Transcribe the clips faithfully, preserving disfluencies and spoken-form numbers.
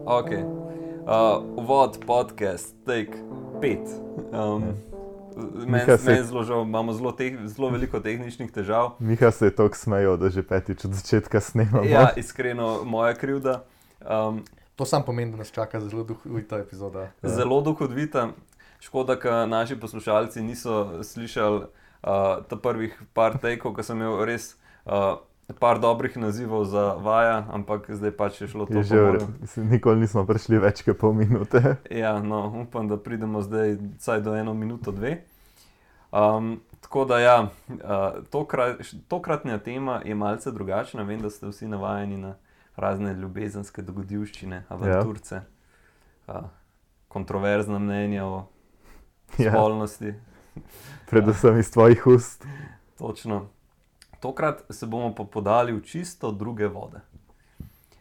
Ok. Uh, uvod, podcast, take pet. Um, Meni Miha se- men zelo žal, imamo zelo, teh, zelo veliko tehničnih težav. Miha se je toliko smejal, da že petič od začetka snemamo. Ja, iskreno, moja krivda. Um, To sam pomeni, da nas čaka zelo duhovita epizoda. Ja. Zelo duhovita. Škoda, da naši poslušalci niso slišali uh, ta prvih par tekov, ko sem imel res uh, par dobrih nazivov za vaja, ampak zdaj pač je šlo to Je že, po v mojem. re- mislim, nikoli nismo prišli več kot pol minute. Ja, no, upam, da pridemo zdaj vsaj do eno minuto, dve. Um, tako da ja, uh, tokrat, tokratna tema je malce drugačna. Vem, da ste vsi navajeni na razne ljubezenske dogodivščine, avanturce, ja. uh, kontroverzna mnenja o Ja, spolnosti. predvsem iz tvojih ust. Točno. Tokrat se bomo pa podali v čisto druge vode.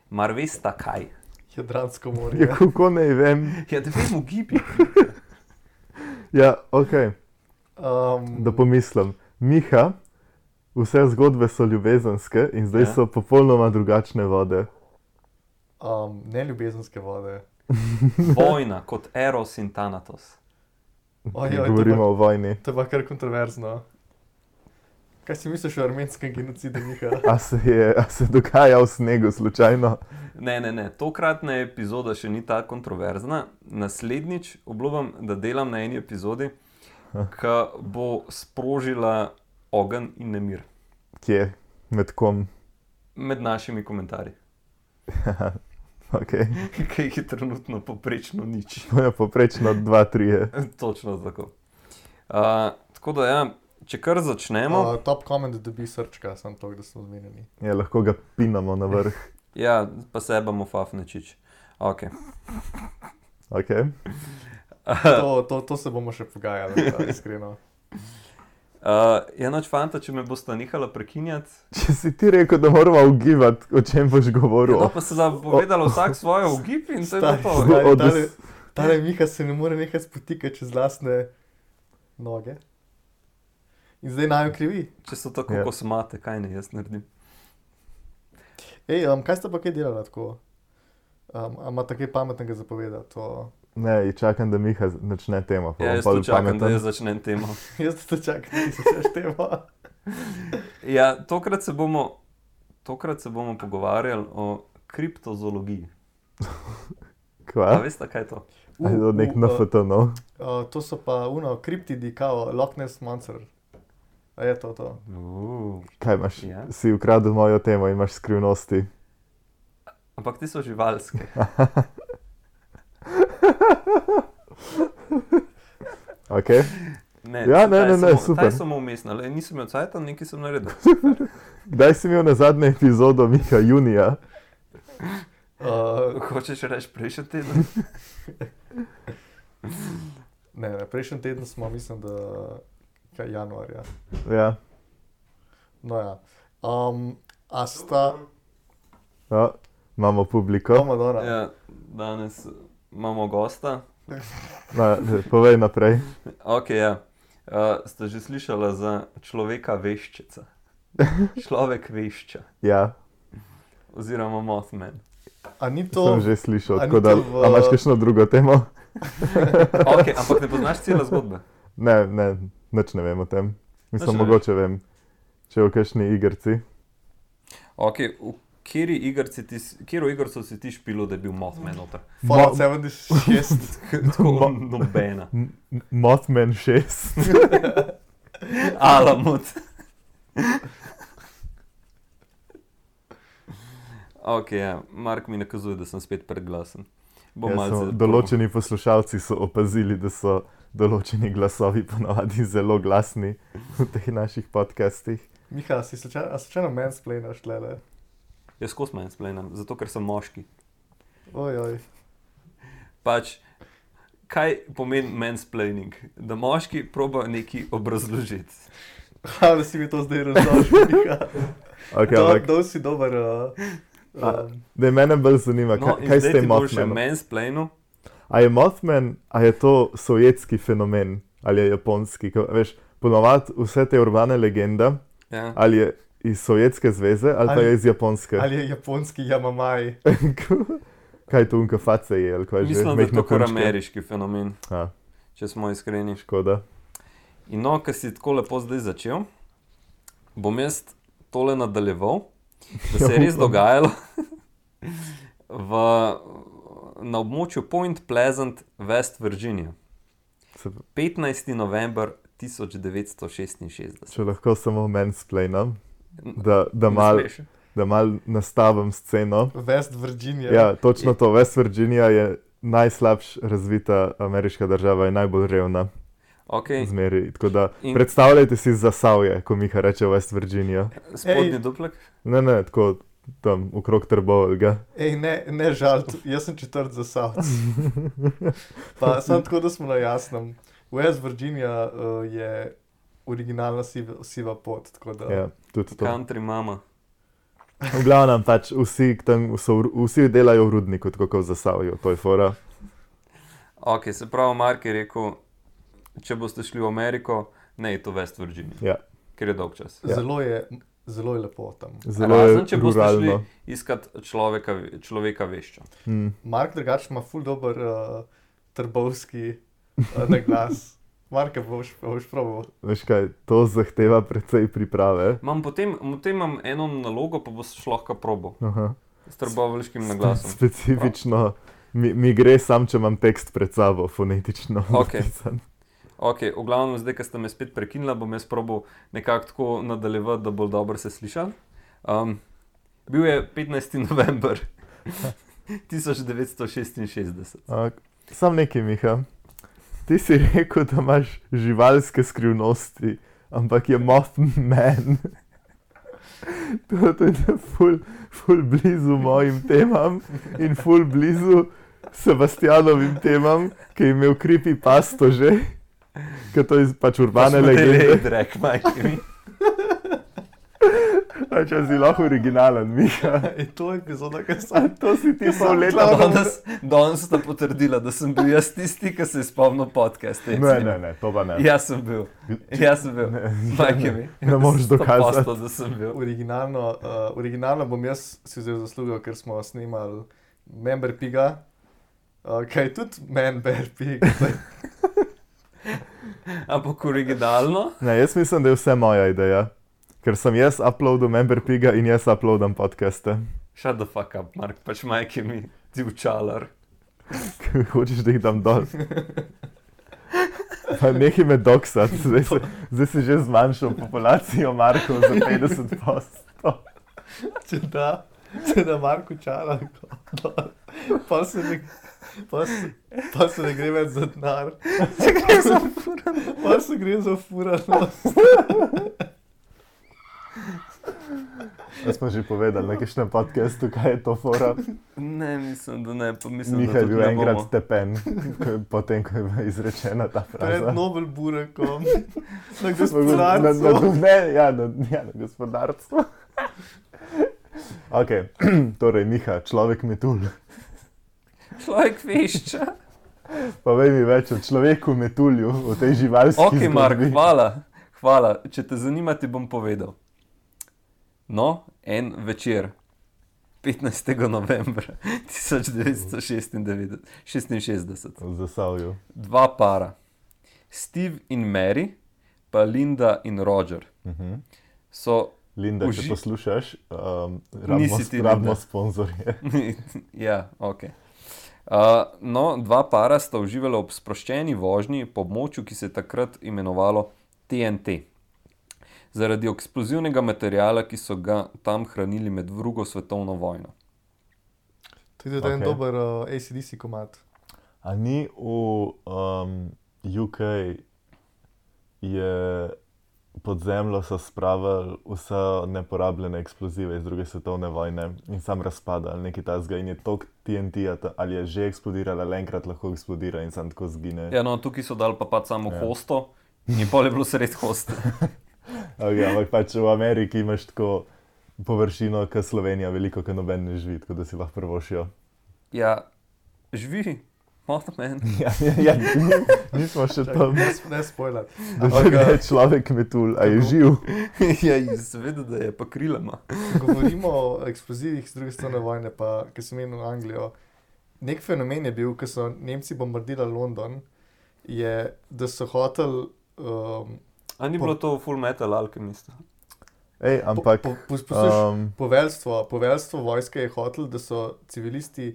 Mar veste kaj? Jadransko morje. Ja, kako naj vem? Ja, da vemo gibi. Ja, ok, Um, da pomislim. Miha, vse zgodbe so ljubezenske in zdaj Ja. so popolnoma drugačne vode. um, ne ljubezenske vode. Vojna kot Eros in Thanatos. Ojoj, to Govorimo pa- o vojni. To je pa kar kontroverzno. Kaj si misliš o armenskem genocidu, Miha? A se je a se dogaja v snegu slučajno? Ne, ne, ne, tokratna epizoda še ni tako kontroverzna. Naslednjič obljubim, da delam na eni epizodi, ki bo sprožila ogenj in nemir Kje? Med kom? med našimi komentarji, Ok, ki jih je trenutno poprečno nič. to je poprečno dva, trije. Točno tako. Uh, tako da ja, če kar začnemo, Uh, top comment dobi srčka, sem to, da smo zmenjeni. Ja, lahko ga pinamo na vrh. ja, pa sebamo fafnečič. Ok. Ok, To, to, to se bomo še pogajali, da, iskreno. Uh, je noč fanta, če me boste nehala prekinjati. če si ti rekel, da moramo ugibati, o čem boš govoril. No, pa se da povedala vsak svojo ugib in se je Stari, to. stari. Od- Tale, tale Miha se ne more nekaj spotikati čez lastne noge. In zdaj naj jo krivi. Če so tako Ja. kosmate, kaj ne jaz naredim. Ej, um, kaj ste pa kaj delali tako? Um, a imate kaj pametnega zapovedati? To... Ne, čakam, da Miha začne temo. pa Ja, bom jaz pol tu čakam, da pameten. jaz začnem temo. Jaz to čakam, da se vse števa. Ja, tokrat se bomo, tokrat se bomo pogovarjali o kriptozoologiji. A Kva? veste, kaj je to? Aj, to nek N F T, no. Uh, to so pa uno, kriptidi, kao Loch Ness Monster. A je to to? Uh, Kaj imaš? Ja. Si ukradel mojo temo, imaš skrivnosti. ampak ti so živalske. Ok, Ne, Ja, ne, taj ne, ne, samo- super. Taj samo umestna, le nisem imel cajta, nekaj sem naredil. kdaj si imel na zadnjo epizodo Miha junija? Uh, Hočeš reči prejšnji teden? ne, ne, prejšnji teden smo, mislim, da kaj januarja. Ja, No ja. Um, a sta... ja. Imamo publiko. Oh, Madonna. Ja, danes imamo gosta. No, povej naprej. Ok, ja. Uh, ste že slišali za človeka veščica? Človek vešča. Ja, Oziroma Mothman. A ni to... sem to... že slišal. a ni Tako da, to v- a imaš kakšno drugo temo? Ok, ampak ne poznaš cele zgodbe. Ne, ne, nič ne vem o tem. Mislim, Nič ne mogoče vem, če v kakšni igrci. Ok, v kateri igrci ti, s- katero igrico si ti špilo, da je bil Mothman noter? Fallout sedemdeset šest. Tako nobena. M- M- Mothman šest. Alamut. Ok, ja, Mark mi nakazuje, da sem spet predglasen. Bom Ja, malce... so, določeni poslušalci so opazili, da so določeni glasovi ponavadi zelo glasni v teh naših podcastih. Miha, si slučajno, a slučajno mansplainaš tlele? Jaz skozi mansplainim, zato ker sem moški. Oj, oj. Pač, kaj pomeni mansplaining? Da moški proba nekaj obrazložiti. Ha, da si mi to zdaj razložil, Miha. Okay, Do, ampak, dol si dober... Uh, A- um, da mene bolj zanima, No, kaj, in kaj s zdaj tem ti bo še Mothmanom? mansplainu. A je Mothman, a je to sovjetski fenomen ali je japonski? Ko, veš, ponovadi vse te urbane legende, Ja. ali je iz Sovjetske zveze ali, ali pa Ali- je iz Japonske. ali je japonski Yamamai. kaj to unka face je, ali kaj že? Mislim, da je Mehne to kar punčke? ameriški fenomen, A, če smo iskreni. škoda. In no, ker si tako lepo zdaj začel, bom jaz tole nadaljeval, da se je res dogajalo v, na območju Point Pleasant, West Virginia. Se, petnajsti november tisoč devetsto šestinšestdeset. če lahko samo mansplainam, da, da Ne mal, smeš. da mal nastavim sceno. West Virginia. Ja, točno to. West Virginia je najslabš razvita ameriška država in najbolj revna Okay. zmeri. Tako da In- predstavljajte si Zasavje, ko Miha reče West Virginia. Spodnji Ej. duplek. Ne, ne, tako tam okrog Trboveljga. Ej, ne, ne žal, jaz sem četrt za Savc. Pa samo tako, da smo na jasnem. West Virginia uh, je originalna siva, siva pot, tako da... Ja, tudi to. Country mama. V glavnem pač vsi, tam so, v- vsi delajo v rudniku, tako kot v Zasavju, to je fora. Ok, se pravi, Mark je rekel, če boste šli v Ameriko, ne je to West Virginia, Ja, ker je dolg čas. Ja. Zelo je, zelo je lepo tam. zelo Razen, če je boste šli ruralno. iskat človeka, človeka vešča. Mm. Mark drugače ima ful dober uh, trbovski uh, naglas. Marka, boš, boš probal. Veš kaj, to zahteva precej priprave. Imam potem, potem imam eno nalogo, pa boš lahko probo Aha. s trboveljskim naglasom. Specifično mi, mi gre sam, če imam tekst pred sabo, fonetično. Okej. napisan. Ok, v glavnem zdaj, ko ste me spet prekinila, bom jaz probal nekako tako nadaljevati, da bolj dobro se slišal. Um, bil je petnajsti november tisoč devetsto šestinšestdeset. A, Sam nekaj, Miha. Ti si rekel, da imaš živalske skrivnosti, ampak je Mothman. To, to je ful, ful blizu mojim temam in ful blizu Sebastianovim temam, ki je imel creepypasto že, ker to je pač urbane legende. Drek, majke mi. A če si lahko originalen, Miha. Je to epizoda, ki A sem... to si ti Jaz sem pol leta. glavno- Danes, danes sta potrdila, da sem bil jaz tisti, ki se je spomnil podcast. Ne, ne, ne, to pa ne. Jaz sem bil, jaz sem bil. Ne, Majke mi. ne moreš dokazati. sto posto, da sem bil. Originalno, uh, originalno bom jaz si vzel zaslugo, ker smo snemali Member Piga, uh, kaj je tudi Member Pig. Ampak originalno. Ne, jaz mislim, da je vse moja ideja. Ker sem jaz uploadil Member Piga in jaz uploadam podcaste. Shut the fuck up, Mark, pač majke mi, ti učalar. Hočeš, da jih dam dol. Pa nekaj me doksati, zdaj, se- zdaj si že zmanjšal populacijo Markov za petdeset odstotkov. Če da, če da Marko čala, pa se ne, pa se, pa se ne gre več za denar. Se gre za furanost. Pa se gre za furanost. Da smo že povedali na kakšnem podcastu, kaj je to fora. Ne, mislim, da ne, pa mislim, Miha da je tudi bil ne enkrat bomo. stepen, ko je- potem ko je bila izrečena ta Pred fraza. Nobel Burekom, na Na, na, gospodarstvu. ne, ja, na, ja, na gospodarstvo. Ok, torej Miha, človek metulj. Človek vešča. Povej mi več o človeku metulju, o tej živalski Ok, Mark, zgodbi. hvala, hvala. Če te zanima, ti bom povedal. No, en večer, petnajstega novembra tisoč devetsto šestinšestdeset, V Zasavju. dva para, Steve in Mary, pa Linda in Roger, Uh-huh. so Linda, če Uži- poslušaš, um, rabimo, Nisi ti rabimo Linda. sponzorje. ja, ok. Uh, no, dva para sta uživala ob sproščeni vožnji po območju, ki se je takrat imenovalo T N T. Zaradi eksplozivnega materiala, ki so ga tam hranili med drugo svetovno vojno. To je tudi en Ok. dober uh, A C D C komad. A ni v um, U K je pod zemljo so spravili vse neporabljene eksplozive iz druge svetovne vojne in sam razpada ali nekaj tasga in je tok T N T-ja ta- ali je že eksplodiral ali enkrat lahko eksplodira in sam tako zgine. Ja, no, tukaj so dali pa pač samo Ja. ja. hosto in pol je bilo sred hosta. Okay, ampak pač v Ameriki imaš tako površino, kot Slovenija, veliko, kot noben ne živi, tako da si lahko prvošijo. Ja, živi, Mothman. Ja, ja, ja, ni- nismo še Čakaj, tam, Ne, sp- ne spoiler. da Ampak, že uh, je človek metulj, a je Kako? živ. ja, seveda, da je pa krilama. Govorimo o eksplozivih z druge strani vojne, pa ki sem menil Anglijo. nek fenomen je bil, ko so Nemci bombardirali London, je, da so hoteli. Um, A ni po, bilo to Full Metal Alchemist? Ej, ampak, po, po, posluš, um, poveljstvo, poveljstvo vojske je hotelo, da so civilisti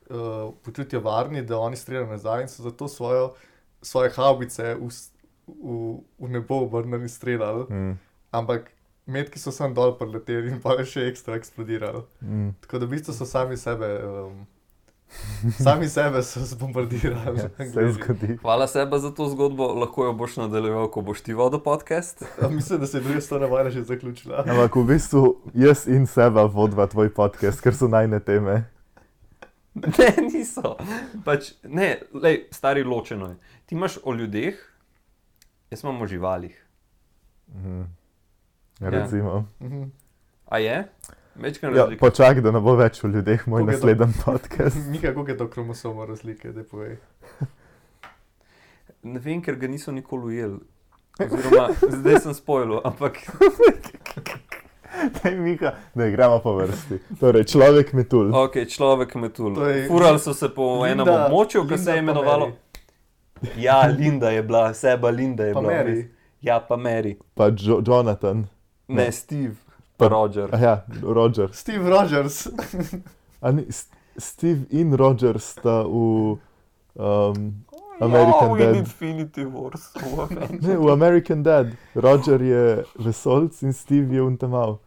uh, počutijo varni, da oni streljajo nazaj in so zato svojo, svoje havbice v, v, v nebo obrnili in streljali. mm, Ampak metki so sam dol preleteli in pa je še ekstra eksplodirali. mm. Tako da v bistvu so sami sebe, um, sami sebe so zbombardirali. Ja, se zgodi. Hvala seba za to zgodbo, lahko jo boš nadaljeval, ko boš ti vodil podcast. Mislim, da se je druga strana vajna že zaključila. Ampak v bistvu jaz in seba vodva tvoj podcast, ker so najne teme. Ne, niso. Pač, ne, lej, stari ločeno je. Ti imaš o ljudeh, jaz imam o živalih. Mhm. Ja. Recimo. Mhm. A je? Večkrat Ja, razlika. počak, da ne bo več o ljudeh moj Koliko je to? naslednji podcast. Mika, koliko je to kromosoma razlike, da povej? Ne vem, ker ga niso nikoli ujeli. Oziroma, zdaj sem spojil, ampak Daj, Miha, ne, gremo po vrsti. Torej, človek metul. ok, človek metul. To je- Furali so se po Linda- enem območju, ki se Linda je pa imenovalo. Mary. Ja, Linda je bila, seba Linda je Pa bila. Mary. res. Ja, pa Mary. Pa jo Jonathan. Ne, Ne. Steve, pa Roger. Aha, Roger. Steve Rogers. A ni, S- Steve in Roger sta v um, American oh, Dad. in Infinity Wars. v Avengers. Ne, v American Dad. Roger je vesolc in Steve je untamal.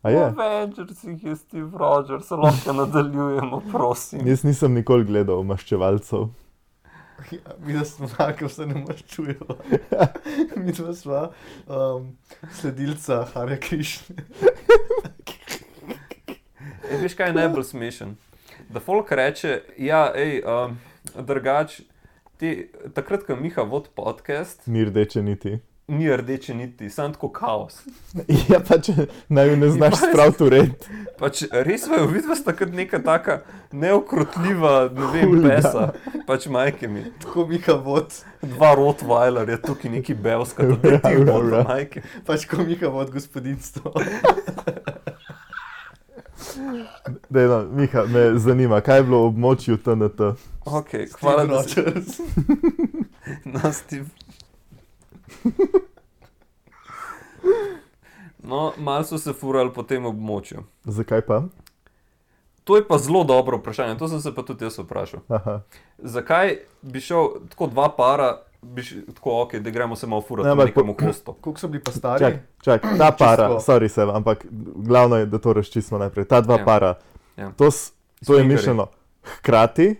A V je? Avengersih je Steve Rogers, lahko nadaljujemo, prosim. Jaz nisem nikoli gledal maščevalcev. Mi da smo tako, se ne maščujemo. Mi dva sva um, sledilca Hare Krishne. E, veš, kaj je najbolj smešen? Da folk reče, ja, ej, um, drugač, ti, takrat, ko Miha vod podcast, Ni rdeče niti. ni rdeče niti, sam tako kaos. Ja, pa če naj jo ne znaš pa- spraviti v red. Pač res vajo, vidva sta kot neka taka neokrotljiva, ne vem, Hulga. pesa. Pač majke mi. Tako Mika vod, Dva Rottweiler je tukaj neki belska, da te ti Ra, ra, vod, ra. majke. pač ko Mika vod gospodinstvo. Dej, no, Miha, me zanima, kaj je bilo v območju T N T? Ok, Steve hvala, da si Rogers. No, Steve. No, malo so se furali po tem območju. Zakaj pa? To je pa zelo dobro vprašanje, to sem se pa tudi jaz vprašal. Aha. Zakaj bi šel tako dva para, bi š, tako ok, da gremo se malo furati Ne, na ampak po- nekemu hostu. Koliko so bili pa stari? Čak, čak, ta para, Čisto. sorry se, ampak glavno je, da to razčistimo najprej. Ta dva Ja. para, Ja. to, s- to je Swingerji. mišljeno hkrati,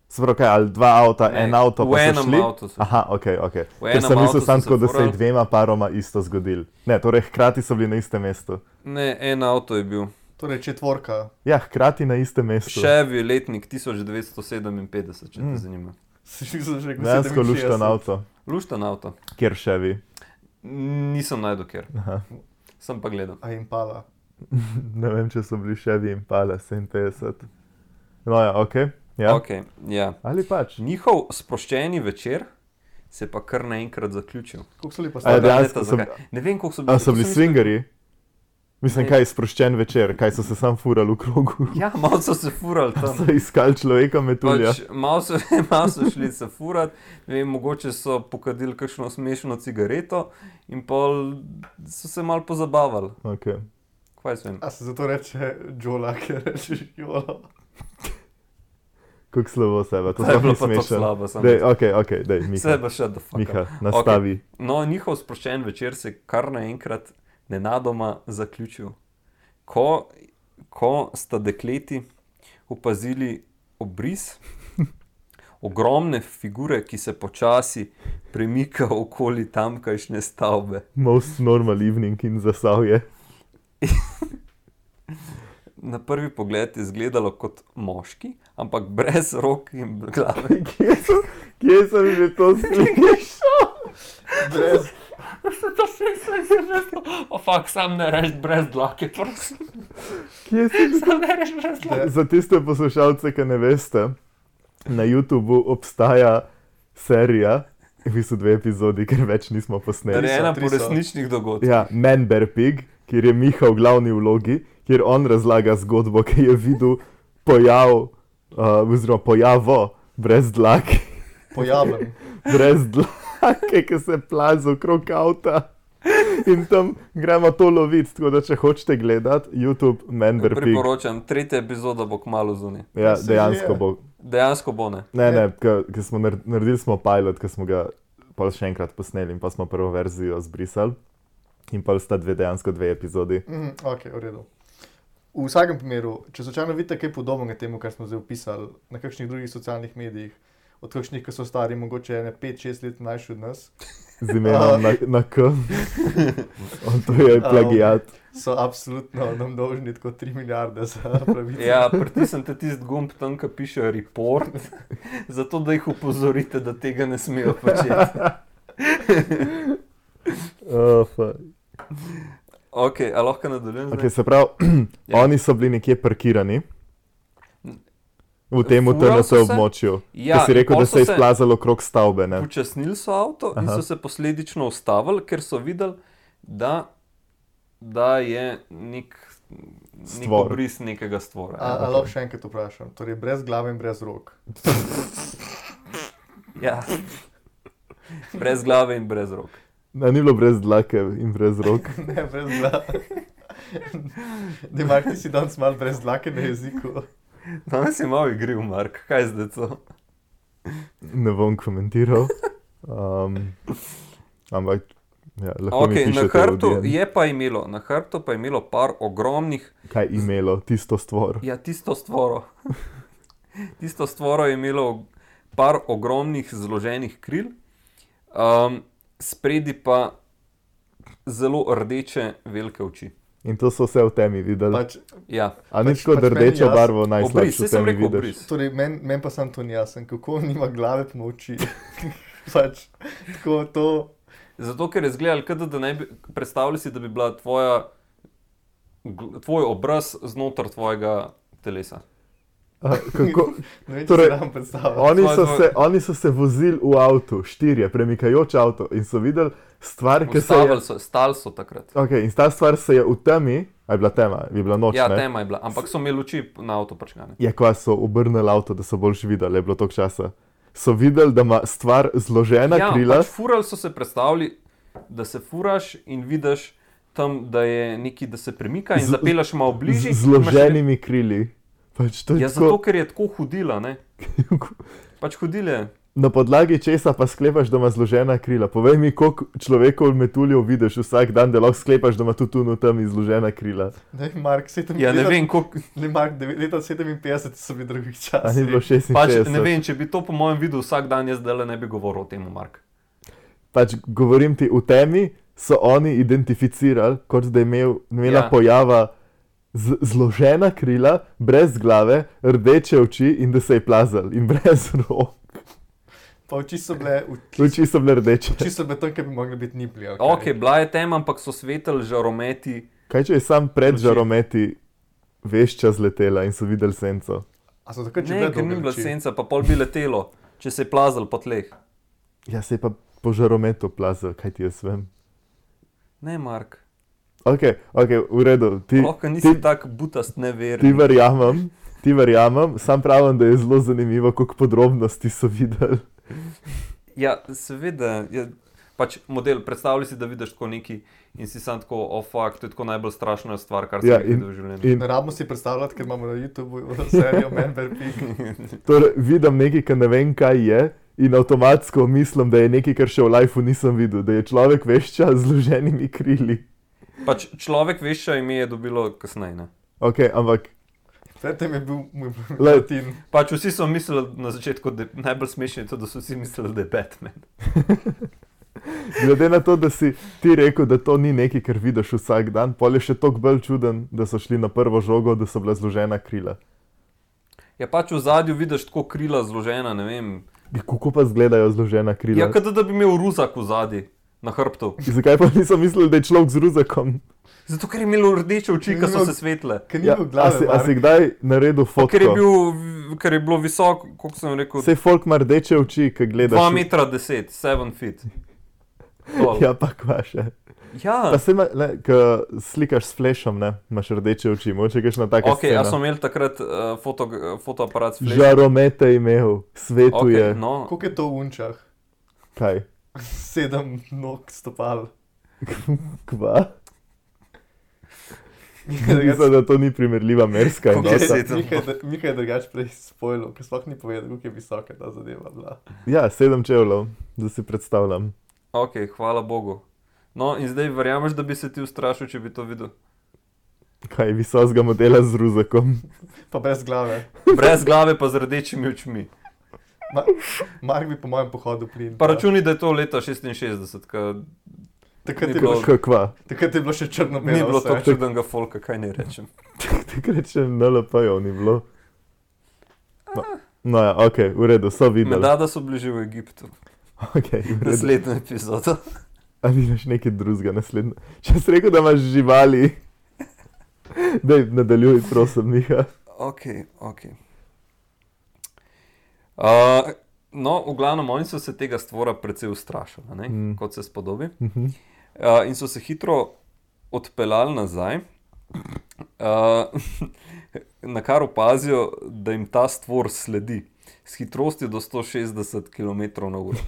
se pravi, kaj, ali dva avta, Ne, en avto, v pa so enem šli. avtu so. Aha, ok, ok. V Ker enem sem mislil avtu so samo se tako, da se je furali. dvema paroma isto zgodilo. Ne, torej hkrati so bili na istem mestu. Ne, en avto je bil. Torej četvorka. Ja, hkrati na istem mestu. Chevy letnik tisoč devetsto sedeminpetdeset, če te Mm. zanima. Si že rekel Dejansko luštan sedeminšestdeset. avto, Luštan avto. kjer Chevy. Nisem najdel kjer, Aha. sem pa gledal. A Impala. Ne vem, če so bili Chevy in Pala sedeminpetdeset. No ja, ok. Ja. Okay, ja. Ali pač. Njihov sproščeni večer se je pa kar naenkrat zaključil. Koliko so bili pa A je stari? dejansko Veta, so- zakaj. Ne vem, koliko so A bili. so bili sem mislil- swingerji? Mislim, Ne. kaj sproščen večer, kaj so se sam furali v krogu. Ja, malo so se furali tam. So iskali človeka metulja. Pač, malo, so, malo so šli se furati, ne vem, mogoče so pokadili kakšno smešno cigareto in pol so se malo pozabavali. Okay. Kaj jaz vem? A se zato reče Jola, ker rečeš Jola. Kako slabo sebe, to To je sploh bilo ni pa tako smešno. slabo. samo- Dej, ok, ok, dej, Miha. Seba še da fuck. Miha, nastavi. No, njihov sproščen večer se je kar naenkrat nenadoma zaključil. Ko, ko sta dekleti opazili obris ogromne figure, ki se počasi premika okoli tamkajšnje stavbe. Most normal evening in zasavje. Na prvi pogled je izgledalo kot moški, ampak brez rok in glave. Kje, so, kje sem že to slišal? Brez, Se to se je o fakt, sam ne reči brez dlake, prosim. Kje sem že Sam ne reči brez dlake. Za tiste poslušalce, ki ne veste, na YouTubu obstaja serija, v bistvu dve epizodi, ker več nismo posneli. Narejena tri po so. resničnih dogodkih. Ja, Man Bear Pig, kjer je Miha v glavni vlogi, kjer on razlaga zgodbo, ki je videl pojav uh, oziroma pojavo brez dlake, Pojaven. brez dlake, ki se plaza okrog avta. In tam gremo to loviti, tako da če hočete gledati, YouTube, Member Pig. Priporočam, tretja epizoda bo kmalu zunaj. Ja, se dejansko že je. bo. Dejansko bo ne. Ne, ne, ker smo nar- naredili smo pilot, ki smo ga pol še enkrat posneli in pa smo prvo verzijo zbrisali. In pa sta dve, dejansko dve epizodi. Mhm, ok, v redu. V vsakem primeru, če slučajno vidite kaj podobnega temu, kar smo zdaj opisali na kakšnih drugih socialnih medijih, od kakšnih, ki so stari mogoče ene pet šest let mlajši od nas, Z imenom na, na K. On to je plagiat. so absolutno nam dolžni tako tri milijarde za pravice. Ja, pritisnite tisti gumb tam, ki piše report, zato da jih opozorite, da tega ne smejo početi. Oh, fuck. Ok, a lahko nadaljujem zdaj? Okay, se pravi, Ja. oni so bili nekje parkirani v tem T Furali N so T se. območju. Ja, Ki si rekel, in pol da so se je se- izplazalo okrog stavbe. Ne? Počasnili so avto in Aha. so se posledično ustavili, ker so videli, da, da je nek, nek Stvor. obris nekega stvora. A, Ja. a lahko še enkrat vprašam, torej brez glave in brez rok. Ja. Brez glave in brez rok. Ne, ni bilo brez dlake in brez rok. Ne, brez glave. Da imaš ti si danes malo brez dlake na jeziku. Danes je malo igriv, Mark, kaj zdaj to? Ne bom komentiral. Um, ampak, ja, lahko mi Okay, na pišete v hrbtu D M. je pa imelo, na hrbtu pa je imelo par ogromnih, Kaj imelo, tisto stvor. ja, tisto stvoro. Tisto stvoro je imelo par ogromnih zloženih kril, um, spredi pa zelo rdeče velike oči. In to so vse v temi videli. Pač, Ja, A ni pač- tako, da pač meni rdečo jasno. barvo obris, najslabše saj v sem temi rekel vidiš. obris. torej, meni men pa sam to ni jasen, kako nima glave pa ima oči. Pač, tako to. Zato, ker je izgledalo, kot da ne bi predstavljal si, da bi bila tvoja, gl- tvoj obraz znotraj tvojega telesa. A, kako, Ne vem, če Torej, si nam predstavljam. oni, so Tvoj- se, oni so se vozili v avtu, štirje, premikajoč avto in so videli stvar, ki se je... Ustavili so, stali so takrat. Okay, in ta stvar se je v temi, a je bila tema, je bila noč, Ja, ne? tema je bila, ampak so imeli oči na avto prčkane. Je kva so obrnili avto, da so boljš videli, je bilo toliko časa. So videli, da ima stvar zložena Ja, krila. pač furali so se predstavljali, da se furaš in vidiš tam, da je neki, da se premika in Z- zapelaš malo bližje. Z zloženimi krili. Pač to je Ja, tako, zato, ker je tako hodila, ne? Pač hodile. na podlagi česa pa sklepaš, da ima zložena krila. Povej mi, koliko človekov metuljev vidiš vsak dan, da lahko sklepaš, da ima tudi tu tam zložena krila. Ne vem, Mark, sedem, Ja, ne leta, vem, koliko. ne, Mark, devet- leta sedeminpetdeset so bili drugih A ni časov. bilo Pač, šestinšestdeset. ne vem, če bi to po mojem videl vsak dan, jaz zdaj ne bi govoril o tem, Mark. Pač govorim ti, v temi so oni identificirali, kot da je imel, imela Ja. ja. pojava z, zložena krila, brez glave, rdeče oči in da se je plazal in brez rok. Pa oči so bile, Oči so bile rdeče. oči so bile tam, ki bi mogli biti nipli. Okay. Ok, bila je tema, ampak so svetel žarometi. Kaj če je sam pred Oči. žarometi vešča zletela in so videli senco? A so takrat že Ne, bile ker ni dolge bila oči? senca, pa pol bi letelo, če se je plazal po tleh. Ja, se je pa po žarometu plazal, kaj ti jaz vem. Ne, Mark. Ok, ok, v redu. Ti, Lahko nisi ti, tak butast, ti neverni. verjamem, ti verjamem, sam pravim, da je zelo zanimivo, koliko podrobnosti so videli. Ja, seveda, je pač model, predstavljaj si, da vidiš tako neki in si sam tako, oh fuck, to je tako najbolj strašna stvar, kar sem Ja, ja, in- videl v življenju. In Ne rabimo si predstavljati, ker imamo na YouTubu serijo Member Pig. torej, vidim nekaj, kar ne vem, kaj je, in avtomatsko mislim, da je nekaj, kar še v lifeu nisem videl, da je človek vešča z zloženimi krili. Pač človek vešča ime je dobilo kasneje. Ne? Ok, ampak Predtem je bil moj Lej. Latin. Pač vsi so mislili na začetku, da je najbolj smešno je to, da so vsi mislili, da je Batman. glede na to, da si ti rekel, da to ni nekaj, kar vidiš vsak dan, pol je še toliko bolj čuden, da so šli na prvo žogo, da so bila zložena krila. Ja, pač v zadju vidiš tako krila zložena, ne vem. Kako pa izgledajo zložena krila? Ja, kot da bi imel ruzak v zadju, na hrbtu. Zakaj pa niso mislili, da je človek z ruzakom? Zato, ker je imel rdeče oči, ki so se svetle. Ker ni Ja, bil a, glave, si, a Mark. si kdaj naredil Pa Ker je, fotko? bil, ker je bilo visoko, koliko sem rekel, Vse folk ima rdeče oči, ki gledaš. dva metra deset, sedem feet. Tol. Ja, pa kva še. Ja, Pa se ima, ko slikaš s flashom, ne, imaš rdeče oči, moče kakšna taka ok, a scena. so imeli takrat uh, foto, fotoaparat s flashom? Žaromete je imel, svetuje. Ok, no, Koliko je to v unčah? Kaj? Sedem nog stopal. Kva? Mihaj Mislim, da to ni primerljiva merska Koliko je enota. sedem? Mihaj je drugač prej spojil, ker sploh ni povedal, koliko je visoka ta zadeva bila. Ja, sedem čevljev, da si predstavljam. ok, hvala Bogu. No, in zdaj verjameš, da bi se ti ustrašil, če bi to videl? Kaj, visokega modela z ruzakom. Pa brez glave. Brez glave pa z rdečimi očmi. Ma, Mark bi po mojem pohodu plin. Pa računi, da je to leta šestinšestdeset, ko Takrat ni je, bilo- bilo, Kakva? takrat je bilo še črno-belo. ni bilo vse. tako čudnega folka, kaj ne rečem. Takrat še N L P-jev ni bilo. No, no ja, ok, v redu, so videli. Medada so bili že v Egiptu. Ok, v redu. Naslednjo epizodo. Ali imaš nekaj drugega naslednje? Če si rekel, da imaš živali, daj, nadaljuj, prosim, Miha. Ok, ok. Uh, no, v glavnem, oni so se tega stvora precej ustrašili, ne? Mm. Kot se spodobi. Mhm. Uh, in so se hitro odpeljali nazaj, uh, na kar opazijo, da jim ta stvor sledi. S hitrostjo do sto šestdeset kilometrov na uro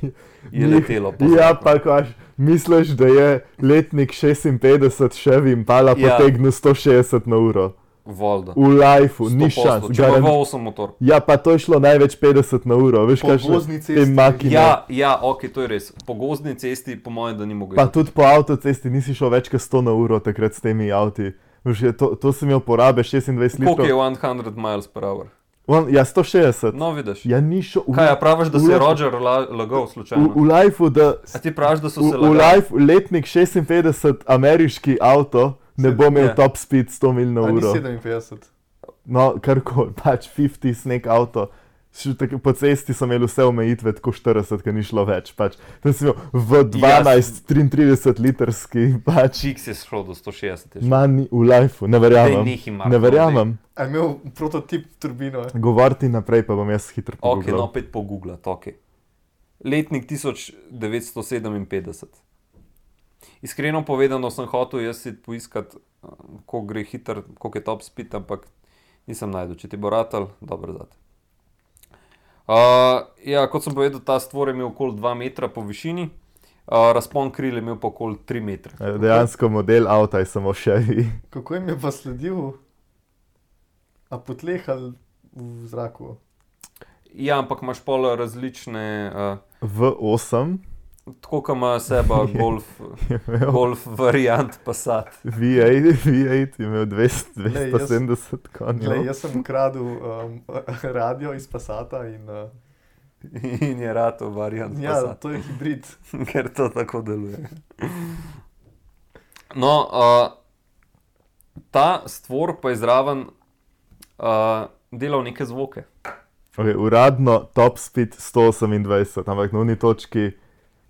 je letelo. po Ja, zraku. pa kaš, misliš, da je letnik šestinpetdeset Chevy Impala Ja. potegnil sto šestdeset na uro? Voldo. V lifeu, ni šans. Če pa garan- v osem motor. Ja, pa to je šlo največ petdeset na uro, veš Po kaj gozdni te cesti. makine. Ja, ja, ok, to je res. Po gozdni cesti, po mojem, da ni mogel. Pa tudi po avtocesti nisi šel več kot sto na uro takrat s temi avti. Veš, je to, to sem imel porabe šestindvajset Koliko je litrov. sto miles per hour? On, ja, sto šestdeset. No, vidiš. Ja, ni šel. v- Kaj, a praviš, da v se je lifeu- Roger la, lagal V, slučajno? v lifeu, da A ti praviš, da so v, se v lagali? life, letnik šestinpetdeset ameriški avto ne bo imel Ja. top speed sto mil na A ni uro. sedeminpetdeset. No, karkoli, pač petdeset nek avto. Še tako Po cesti so imeli vse omejitve, tako štirideset, ker ni šlo več. Pač. Tam sem imel v dvanajst, triintrideset litrski, pač. Čik si šel do sto šestdeset. je šel. Manj v lifeu, ne Daj, verjamem. nehaj, Marko, Ne verjamem. A je imel prototip turbino? Govoriti naprej, pa bom jaz hitro Ok, pogooglal. no, opet pogooglati, ok. Letnik tisoč devetsto sedeminpetdeset. Iskreno povedano sem hotel jaz si poiskati, kako gre hiter, koliko je top speed, ampak nisem najdel. Če ti bo ratal, dobro zate. Uh, ja, kot sem povedal, ta stvor je imel okoli dva metra po višini, uh, razpon kril je imel pa okoli tri metre. E, Dejansko model avta je samo Chevy. Kako jim je pa sledil? A po tleh ali v zraku? Ja, ampak imaš pol različne, uh, V osem tako kot ima seba Golf, je imel Golf variant Passat. V osem, V osem je imel dvesto, Glej, jaz- dvesto sedemdeset Glej, konjev. jaz sem ukradel um, radio iz Passata in uh, In je rato variant ja, Passat. to je hibrid. Ker to tako deluje. No, uh, ta stvor pa je zraven uh, delal neke zvoke. Okay, uradno top speed sto osemindvajset, ampak na uni točki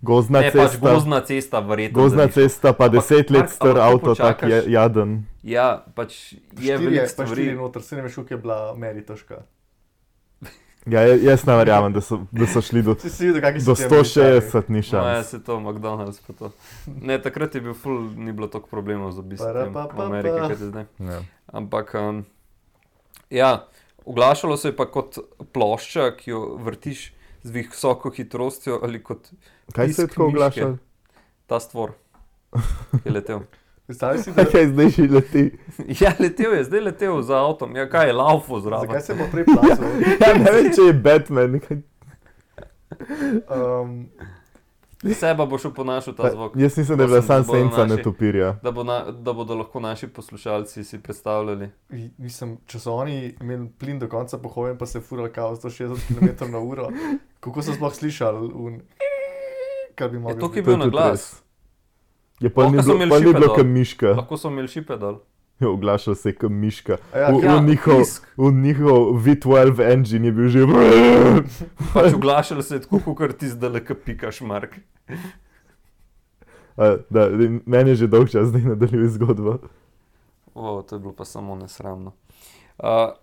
gozdna Ne, pač cesta. gozdna cesta, verjetno. Gozdna da ni šel. cesta, pa Ampak, deset let Mark, star a lahko avto, tak počakaš? je jaden. Ja, pač je Štiri veliko je, pa štiri stvari. noter, se ne veš, koliko je bila meritoška. Ja, ja- jaz ne verjamem, da so, da so šli do, Si si videl, kakšni so do ti sto Američani? šestdeset, ni No, ja, šans. se to, McDonald's pa to. Ne, takrat je bil full, ni bilo toliko problemov z obisk Para tem pa v pa Ameriki, pa. kot je zdaj. Ja. Ampak, um, ja, oglašalo se je pa kot plošča, ki jo vrtiš z visoko hitrostjo ali kot Kaj se je Pisk tako miške. oglašal? ta stvor, ki je letel. Predstavljaj si, da, Kaj zdaj že leti? Ja, letel je, zdaj letel za avtom. Ja, kaj je laufo zraven? zakaj se bo prej plačal? Ja, ne vem, če je Batman. Kaj... Um, Seba bo šel ponašal ta zvok. Jaz mislim, da je bila Prosim, sam da bodo senca naši- netopirja. Da, bo na, da bodo lahko naši poslušalci si predstavljali. mislim, če so oni imeli plin do konca pohojen, pa se furali kao sto šestdeset kilometrov na uro, kako so sploh slišali? Un... Kar bi Je mogli to, ki je biti. bil na glas. Je pa Lahko ni so bilo, imeli pa ni šipe bilo dol. kam miška. Lahko so imeli šipe dol. Je oglašal se je kam miška. A ja, V, ja, v, njihov, pisk. v njihov V dvanajst engine je bil že. Pač oglašali se je tako, kot ti zdaj le pikaš, Mark. A, da, meni je že dolg čas, zdaj nadaljuje zgodbo. O, to je bilo pa samo nesramno. Uh,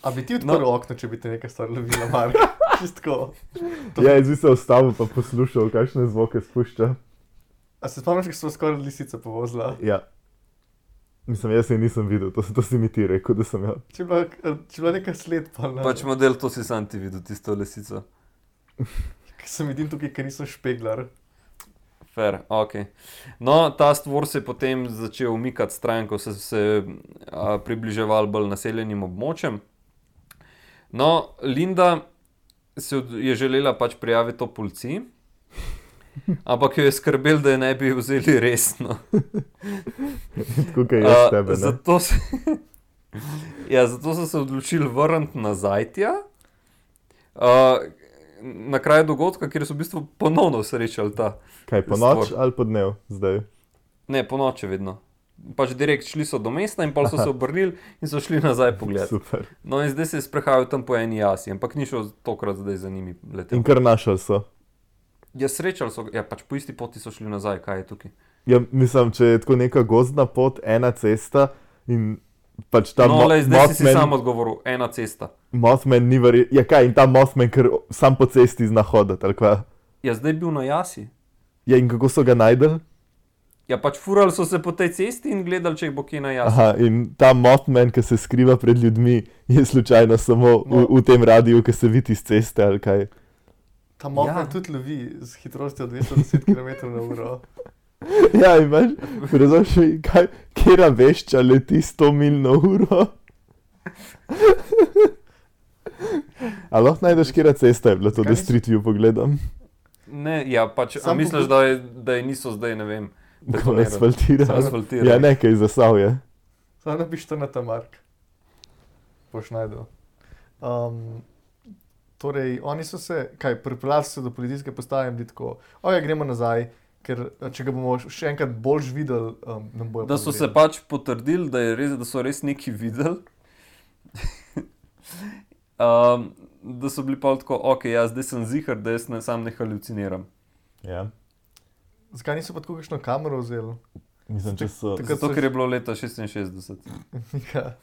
A bi ti odprl No. okno, če bi te nekaj stvar lovila, Mark? Čistko. Ja, jaz bi se ustavil pa poslušal, kakšne zvoke spušča. A se spomniš, kako smo skoraj lisica povozila? Ja. Mislim, jaz je nisem videl, to, to si mi ti rekel, da sem jo. Če je bila, če je bila neka sled, pa ne. Pač model, to si sam ti videl, tisto lisico. Ker sem vidim tukaj, ker nisem špeglar. Fair, ok. No, ta stvor se je potem začel umikati stran, ko so se a, približevali bolj naseljenim območjem. No, Linda se od, je želela pač prijaviti to policiji, ampak jo je skrbel, da je ne bi vzeli resno. Tako kot jaz tebe, ne? Zato, se, ja, zato so se odločili vrniti nazaj tja, uh, na kraj dogodka, kjer so v bistvu ponovno srečali ta. Kaj, po noč ali po dnev zdaj? Ne, po noči vedno. Pač direkt šli so do mesta in pol so se obrnili in so šli nazaj pogled. Super. No in zdaj se je sprehajal tam po eni jasi, ampak ni šel tokrat zdaj za njimi letel. In kar našel so? Ja, srečali so, ja, pač po isti poti so šli nazaj, kaj je tukaj? Ja, mislim, če je tako neka gozdna pot, ena cesta in pač ta No, mo- lej, zdaj si si Mothman, sam odgovoril, ena cesta. Mothman ni verjetno, ja kaj, in ta Mothman, ker sam po cesti zna hoditi, ali kva? Ja, zdaj je bil na jasi. Ja, in kako so ga najdel? Ja, pač furali so se po tej cesti in gledali, če jih bo kje na jasi. Aha, in ta Mothman, ki se skriva pred ljudmi, je slučajno samo v, v tem radiju, ki se vidi iz ceste, ali kaj? Ta Mothman Ja. tudi lovi z hitrostjo dvesto deset kilometrov na uro. Ja, imaš, razumeš mi, kaj, kjera vešča leti sto milj na uro? A lahko najdeš, kjera cesta je bila to, Zakaj da Street View pogledam? Ne, ja, pač, a Sam misliš, pogled- da, je, da je niso zdaj, ne vem, Ko betonirali? asfaltira. Asfaltirali. Ja, nekaj zasav je. Samo napiš to na ta Mark. Boš najdel. Um, torej, oni so se, kaj, pripeljali so se do policijske postaje in bili tako, oja, gremo nazaj, ker če ga bomo še enkrat boljš videli, um, nam bojo Da so se poverili. pač potrdili, da, je res, da so res nekaj videli. um, da so bili pa tako, ok, ja, zdaj sem zihar, da jaz ne, sam ne haluciniram. Ja. Zakaj niso pa tako kakšno kamero vzeli? Mislim, če so... Takrat Zato, so- ker je bilo leta šestinšestdeset. Ja,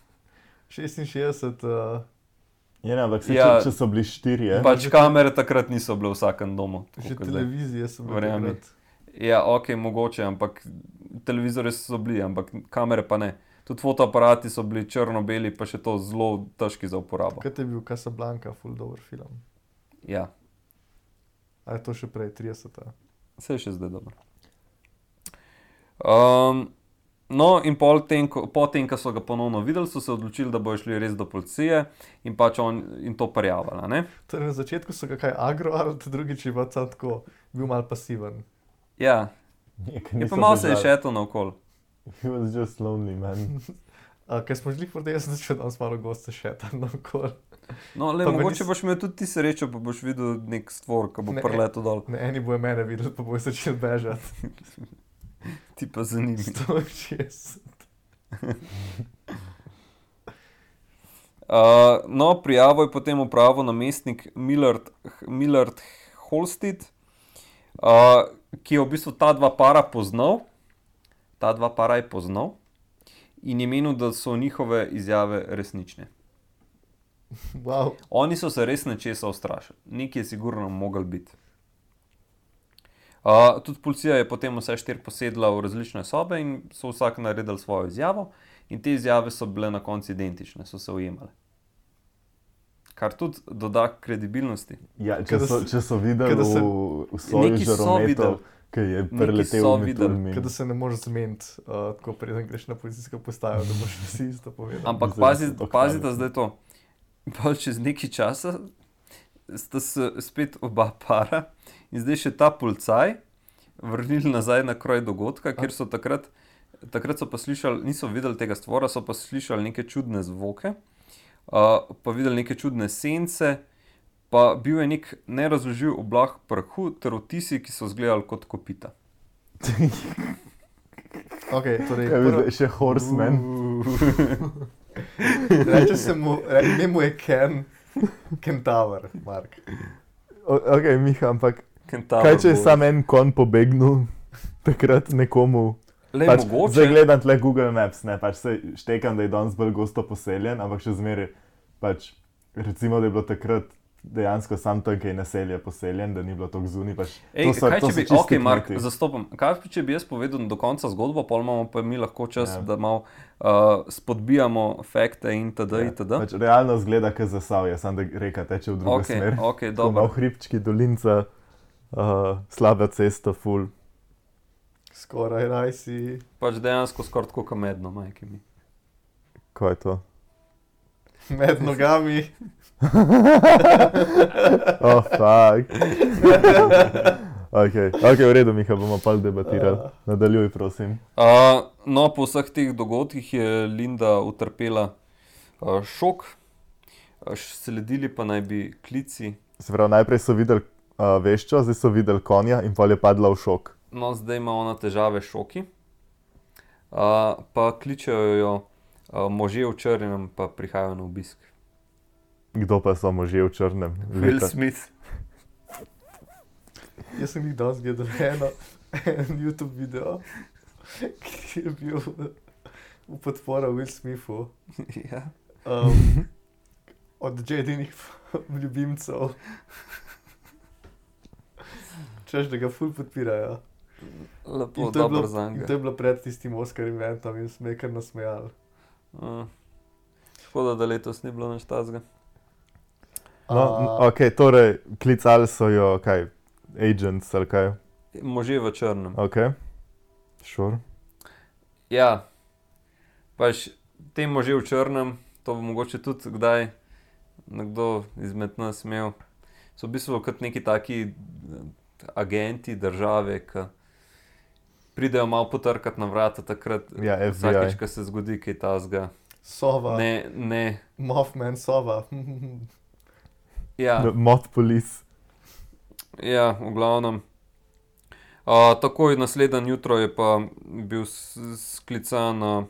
šestinšestdeset, uh, Ja, ne, ampak se, Ja. če, če so bili štirje, Pač kamere takrat niso bile v vsakem domu. tako že kot zdaj. televizije so bile Verjemi. takrat. Ja, ok, mogoče, ampak televizori so bili, ampak kamere pa ne. Tudi fotoaparati so bili črno-beli, pa še to zelo težki za uporabo. Kaj je bil Casablanca, full dober film? Ja, Ali je to še prej, trideseta? vse je še zdaj dobro. Um, no, in pol tem, ko, po tem, ko so ga ponovno videli, so se odločili, da bojo šli res do policije in pač on in to prijavili, ne? Torej, na začetku so ga kaj agro, ali drugič je pa sam tako bil mal pasiven. Ja, je pa malo se je šetal naokol. He was just lonely, man. Uh, Ker smo šli proti jaz, sem začel danes malo goste šetati naokol. No, le, Pa ga mogoče nis- boš imel tudi ti srečo, pa boš videl nek stvor, ki bo Ne. preletel dol. Ne, eni bojo mene videli, pa bojo začeli bežati. Ti pa za njimi. sto šestdeset. Uh, no, prijavo je potem upravil namestnik Millard, Millard Holstead, uh, ki je v bistvu ta dva para poznal. Ta dva para je poznal in je menil, da so njihove izjave resnične. Wow. Oni so se res nečesa ustrašili, nekaj je sigurno mogel biti. Uh, tudi policija je potem vse štiri posedla v različne sobe in so vsak naredili svojo izjavo, in te izjave so bile na koncu identične, so se ujemale. Kar tudi doda kredibilnosti. Ja, če Kada so, se- če so videli kada se- v, v soju Neki so žarometov, videli. ki je Neki preletel so med videli. Tolmin. Kada se ne moreš zmeniti, uh, tako preden greš na policijsko postajo, da boš vsi isto povedal. Ampak Zdaj pazi, so to pazite hvalili. zdaj to. Pa čez nekaj časa sta se spet oba para in zdaj še ta policaj vrnili nazaj na kraj dogodka, kjer so takrat, takrat so pa slišali, niso videli tega stvora, so pa slišali neke čudne zvoke, uh, pa videli neke čudne sence, pa bil je nek nerazložljiv oblak prahu ter vtisi, ki so izgledali kot kopita. Okay, torej, Kaj bi prvo, zdaj, še Horseman. reče se mu, re, ime mu je Ken, Kentaur, Mark. O- Ok, Miha, ampak Kentaur kaj če je bo- sam en kon pobegnil takrat nekomu? Lej, Pač, mogoče, zdaj gledam tle Google Maps, ne, pač se štekam, da je danes bolj gosto poseljen, ampak še zmeraj, pač, recimo, da je bilo takrat dejansko sam tam, kaj naselje poseljen, da ni bilo tako zunaj. Pač, Ej, to so, kaj to če so bi, čisti ok, Mark, kmeti. zastopam. Kaj pa če bi jaz povedal do konca zgodbo, pol imamo pa mi lahko čas, Ja. da malo uh, spodbijamo fakte in td. Ja, itd. pač realno zgleda, kot Zasavje, samo da reka teče v drugo Ok, smer. ok, Tako dobro. malo hribčki, dolinca, uh, slaba cesta, ful. Skoraj raj si. Pač dejansko skoraj tako kamedno, majke mi. Kaj je to? Med nogami. Oh, fuck. ok, ok, v redu, Miha, bomo pa debatirali. Nadaljuj, prosim. Uh, no, po vseh teh dogodkih je Linda utrpela uh, šok, uh, sledili pa naj bi klici. Se pravi, najprej so videli uh, veščo, zdaj so videli konja in pol je padla v šok. No, zdaj ima ona težave s šoki. Uh, pa kličejo jo uh, možje v črnem, pa prihajajo na obisk. Kdo pa so možje v črnem? Will Leta. Smith. Jaz sem jih danes gledal eno, en YouTube video, ki je bil v podporo Will Smithu. ja. Um, od Jadinih ljubimcev. Češ, da ga ful podpirajo. Lepo, In to, je dobro bilo, za in njega. to je bilo pred tistim Oscar eventom in smo kar nasmejali. Uh, škoda, da letos ni bilo nič tazga. No, A, ok, torej, klicali so jo, kaj, agents ali kaj. Možje v črnem. Ok, sure. Ja, pač te možje v črnem, to bo mogoče tudi kdaj nekdo izmed nas imel, so v bistvu kot neki taki eh, agenti države, ki pridejo malo potrkati na vrata takrat, Ja, F B I. vsakič, ko se zgodi kaj tazga. Sova, Ne, ne, Mothman, Sova. ja. The Moth Police. Ja, v glavnem. Uh, takoj naslednje jutro je pa bil s- sklican, uh,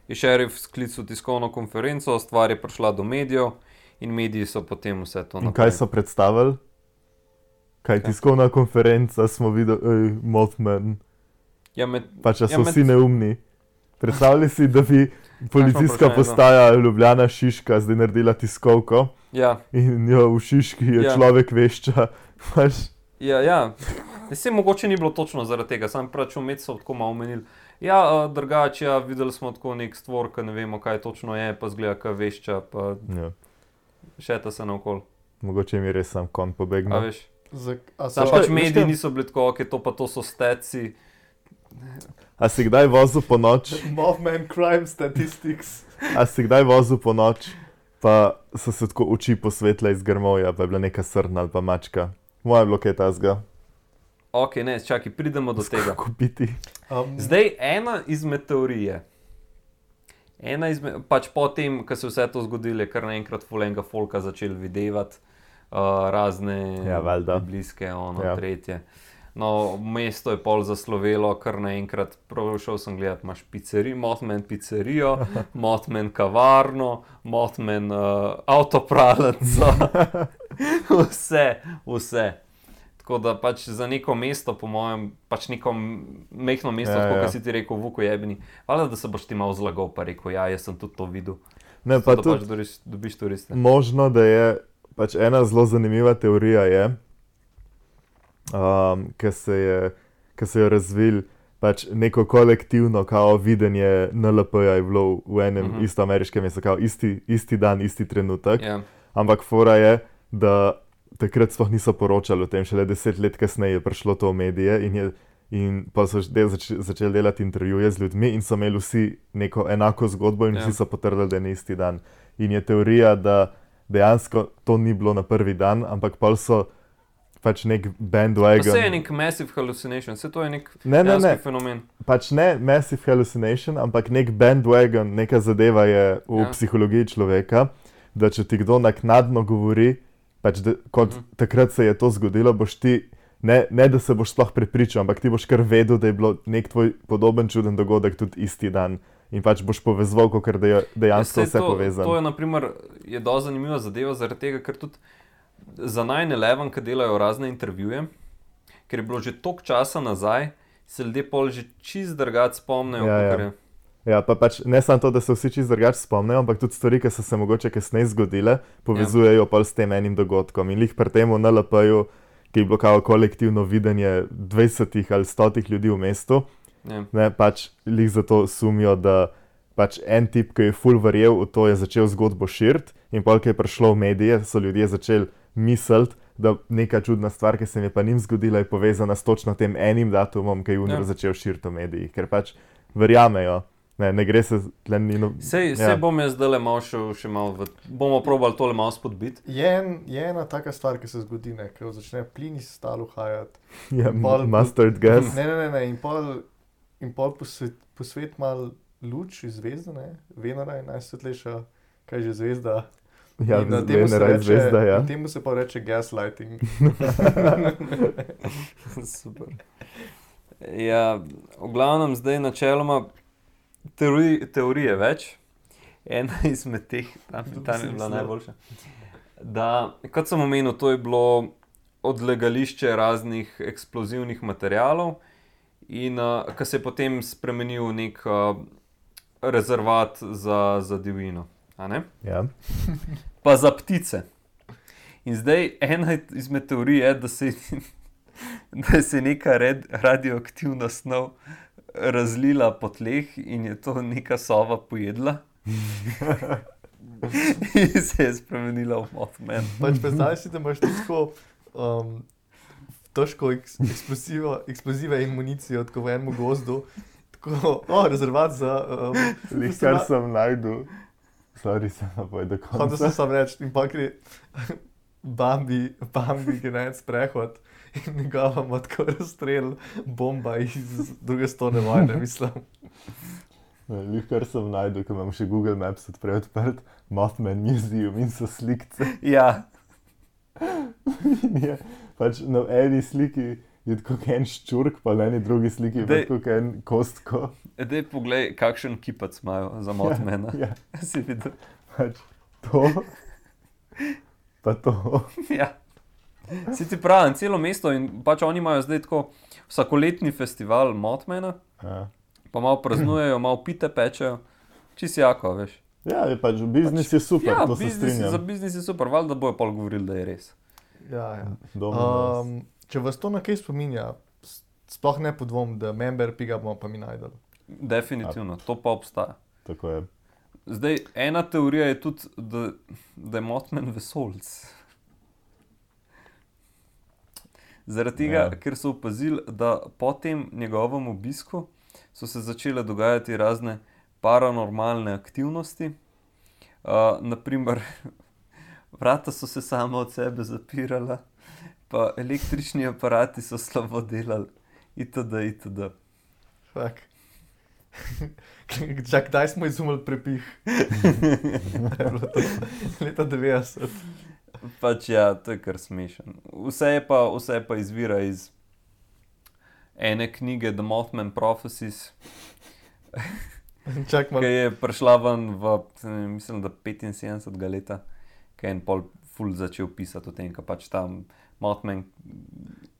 je šerif sklical tiskovno konferenco, stvar je prišla do medijev in mediji so potem vse to In kaj so predstavili? Kaj, Kaj? tiskovna konferenca, smo videli, ej, Mothman, Ja, med, pač da Ja, so med- vsi neumni. Predstavljali si, da bi policijska vprašanje, no? postaja Ljubljana Šiška zdaj naredila tiskovko ja, in jo v Šiški je Ja. človek vešča. Pač, ja, ja. Vse mogoče ni bilo točno zaradi tega, sam pač vmes so tako malo omenili. Ja, uh, drugače, ja, videli smo tako nek stvor, ki ne vemo, kaj točno je, pa zgleda, kaj vešča, pa ja, šeta se naokol. mogoče mi je res sam kon A pobegnil. veš? Zak, a Sam so, pač veš mediji kaj? niso bili tako, ok, to pa to so steci. A si kdaj vozil po noč? Mothman Crime Statistics. A si kdaj vozil po noč, pa so se tako oči posvetle iz grmovja, pa je bila neka srna ali pa mačka. Moje je bilo kaj tazga. Ok, ne, čakaj, pridemo do tega. Kupiti. Um, Zdaj, ena izmed teorije, ena izmed, pač po tem, ko se je vse to zgodilo, je kar naenkrat fulenga folka začel videvati uh, razne Ja, valjda. bliske, ono, Ja. ja. tretje. No, mesto je pol zaslovelo, kar naenkrat, prav šel sem gledat, imaš pizzerijo, Mothman pizzerijo, Mothman kavarno, Mothman uh, avtopralnico, vse, vse. Tako da pač za neko mesto, po mojem, pač neko mehko mesto, Ja, ja, tako ja. kot si ti rekel, Vuko jebni. Hvala, da se boš ti malo zlagal, pa rekel, ja, jaz sem tudi to videl. Ne, Zato, pa da tudi pač dobiš, dobiš turiste. možno, da je pač ena zelo zanimiva teorija, je, um, ki se je, ki se je razvil pač neko kolektivno kao videnje N L P-ja je bilo v enem uh Mhm. -huh. isto ameriškem mestu, kao isti, isti dan, isti trenutek. Ja, Ampak fora je, da takrat sploh niso poročali o tem, šele deset let kasneje je prišlo to v medije in, je, in pa so del zač, začeli delati intervjuje z ljudmi in so imeli vsi neko enako zgodbo in Ja. vsi so potrdili, da je na isti dan. In je teorija, da dejansko to ni bilo na prvi dan, ampak pol so pač nek to bandwagon. se je nek massive hallucination, vse to je nek Ne, ne, dejanski ne, fenomen. pač ne massive hallucination, ampak nek bandwagon, neka zadeva je v Ja. ja. psihologiji človeka, da če ti kdo naknadno govori, pač da, kot Mhm. uh -huh. takrat se je to zgodilo, boš ti, ne, ne da se boš sploh prepričal, ampak ti boš kar vedel, da je bilo nek tvoj podoben čuden dogodek tudi isti dan. In pač boš povezal, ker da je dejansko Ja, vse saj to, povezano. To je, na primer, je dosti zanimiva zadeva, zaradi tega, ker tudi za nine eleven, ki delajo razne intervjuje, ker je bilo že toliko časa nazaj, se ljudje pol že čist drugače spomnijo, Ja, ja. kakor je. Ja, pa pač ne samo to, da se vsi čisto drugače spomnijo, ampak tudi stvari, ki so se mogoče kasneje zgodile, povezujejo ja. pa s tem enim dogodkom. In lih pri tem v N L P-ju, ki je bilo kao kolektivno videnje dvajsetih ali stotih ljudi v mestu, ja. ne, pač lih zato sumijo, da pač en tip, ki je ful verjel v to, je začel zgodbo širiti in pol, ki je prišlo v medije, so ljudje začeli misliti, da neka čudna stvar, ki se mi pa njim zgodila, je povezana s točno tem enim datumom, ki je Unr ja. začel širiti v medijih, ker pač verjamejo. Ne, ne gre se tle nino... Sej, ja. sej bom jaz zdaj malo šel še malo v... Bomo probali tole malo spodbiti. Je, en, je ena taka stvar, ki se zgodi, ne, ko začne plin iz tal uhajati. Ja, pol, mustard gas. Ne, ne, ne, ne, in pol, in pol posvet, posvet mal luč iz zvezde, ne, Venera je najsvetlejša, kaj že zvezda. Ja, in na temu se Venera je reče, zvezda, ja. na temu se pa reče gaslighting. Super. Ja, v glavnem zdaj načeloma teorij, teorije več. Ena izmed teh, tam, tam je bila najboljša. Da, kot sem omenil, to je bilo odlagališče raznih eksplozivnih materialov in uh, ko se je potem spremenil v nek uh, rezervat za, za divjino. A ne? Ja. Pa za ptice. In zdaj ena izmed teorij je, da se da se je neka red, radioaktivna snov razlila po tleh in je to neka sova pojedla. In se je spremenila v Mothman. Pač predstavljaj si, da imaš tako um, težko eks, eksplozive in municijo tako v enem gozdu. Tako, o, rezervat za... Um, Lih, kar sem najdu. Sorry, sem napoj do konca. Hotel sem sam reči, in pa gre Bambi, Bambi gre na en sprehod in njegova ima tako razstrel bomba iz druge stone vojne, mislim. Lih, kar sem najdu, ko imam še Google Maps odprej odprt, Mothman Museum in so slikce. Ja. In je pač na eni sliki je tako en ščurk, pa na eni drugi sliki je tako en kostko. Dej poglej, kakšen kipac imajo za Mothmana. Ja, ja. Si videl? Pač to, pa to. Ja. Si ti pravim, celo mesto in pač oni imajo zdaj tako vsakoletni festival Mothmana, Ja. pa malo praznujejo, malo pite pečejo, čist jako, veš. Ja, je pač, biznis je super, Ja, to se biznis, strinjam. za biznis je super, valjda bojo pol govorili, da je res. Ja, ja. Um, Um, če vas to na kaj spominja, s- sploh ne podvom, da member piga bomo pa mi najdeli. Definitivno, to pa obstaja. Tako je. Zdaj, ena teorija je tudi, da, da je Mothman vesoljc. Zaradi tega, Ja. ker so opazili, da po tem njegovem obisku so se začele dogajati razne paranormalne aktivnosti. Uh, naprimer, vrata so se sama od sebe zapirala, pa električni aparati so slabo delali, itd. itd. Fak. Čak, kdaj smo izumili prepih? Je bilo to leta devetdeset. Pač ja, to je kar smešen. Vse je pa, vse je pa izvira iz ene knjige The Mothman Prophecies, Čak ki malo. je prišla ven v, ne, mislim, da petinsedemdesetega leta, ki je en pol ful začel pisati o tem, ka pač tam Mothman,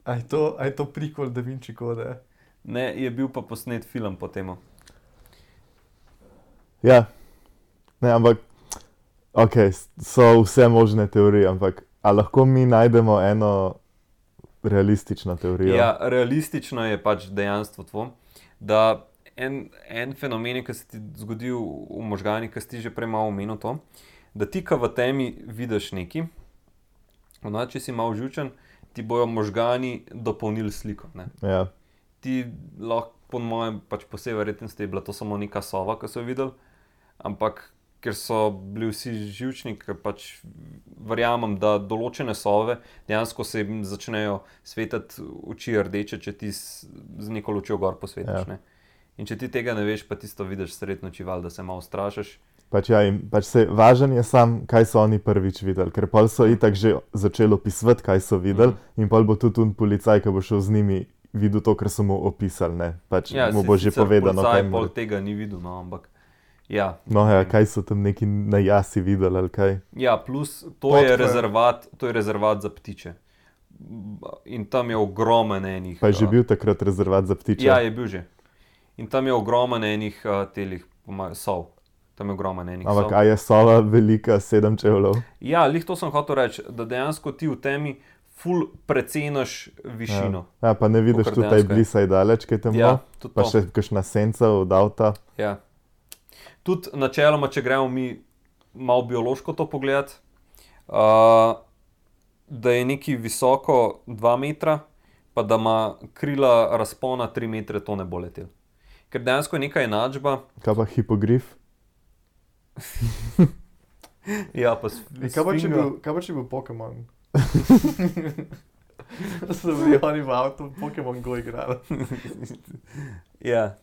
A je to, a je to prequel Da Vinci kode? ne, je bil pa posnet film po temu. Ja, ne, ampak, ok, so vse možne teorije, ampak a lahko mi najdemo eno realistično teorijo? Ja, realistično je pač dejanstvo to, da en, en fenomen, ki se ti zgodi v, v možganih, ki si ti že prej malo omenil to, da ti, ko v temi vidiš nekaj, ono, če si malo živčen, ti bojo možgani dopolnili sliko. Ne? Ja, Ti lahko, po mojem, pač po vsej verjetnosti je bila to samo neka sova, ki so jo videli, ampak ker so bili vsi živčni, ker pač verjamem, da določene sove dejansko se jim začnejo svetiti oči rdeče, če ti z, z neko lučjo gor posvetiš. Ja. Ne? In če ti tega ne veš, pa tisto vidiš srednjo čival, da se malo strašiš. pač ja, in pač se, važen je sam, kaj so oni prvič videli, ker pol so itak že začeli opisovati, kaj so videli, Mhm. in pol bo tudi un policaj, ki bo šel z njimi, videl to, kar so mu opisali, ne, pač Ja, mu bo že povedano, kaj pol mu... tega ni videl, no, ampak ja. No ja, kaj so tam neki na jasi videli, ali kaj? Ja, plus to Pot, je, ko je- rezervat, to je rezervat za ptiče. In tam je ogromen enih... Pa je že uh, bil takrat rezervat za ptiče? Ja, je bil že. In tam je ogromen enih uh, telih pomaj, sov. Tam je ogromen enih Ampak sov. a je sova velika sedem čevljev? Ja, lih to sem hotel reči, da dejansko ti v temi ful preceniš višino. Ja, pa ne vidiš Kakor tudi taj dejansko je. blisaj daleč, kaj temno, Ja, tudi pa to. še kakšna senca od avta. Ja. Tudi načeloma, če gremo mi malo biološko to pogledati, uh, da je neki visoko dva metra, pa da ima krila razpona tri metre, to ne bo letel. Ker dejansko je neka enačba. Kaj pa hipogrif? Ja, pa s- E, kaj, pa, če sfinga. bil, kaj pa če bil Pokémon? So bili oni v avtu, Pokémon Go igrali. Ja,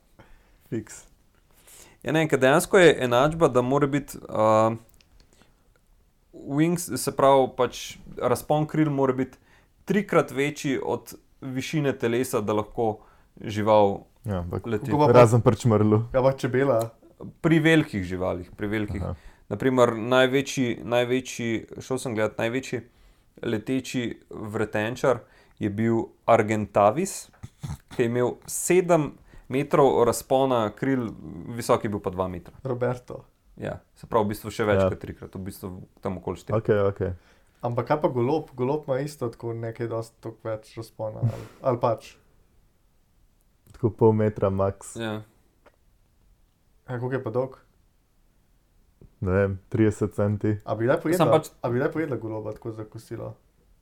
fiks. Ja, ne, ker dejansko je enačba, da mora biti uh, wings, se pravi, pač razpon kril mora biti trikrat večji od višine telesa, da lahko žival Ja, ampak leti. Kako pa- razen prčmrlu. Ja, pa čebela. Pri velikih živalih, pri velikih. Aha. Naprimer, največji, največji, šel sem gledat, največji leteči vretenčar je bil Argentavis, ki je imel sedem metrov razpona kril, visok je bil pa dva metra. Roberto. Ja, se pravi, v bistvu še več Ja. kot trikrat, v bistvu tam okoli štiri. Ok, ok. Ampak kaj pa golob? Golob ima isto tako nekaj dosti toliko več razpona. Ali, ali pač. Tako pol metra max, Ja. A koliko je pa dolg? ne vem, trideset centi. A bi le pojedla, Sam pač- a bi le pojedla goloba tako za kosilo?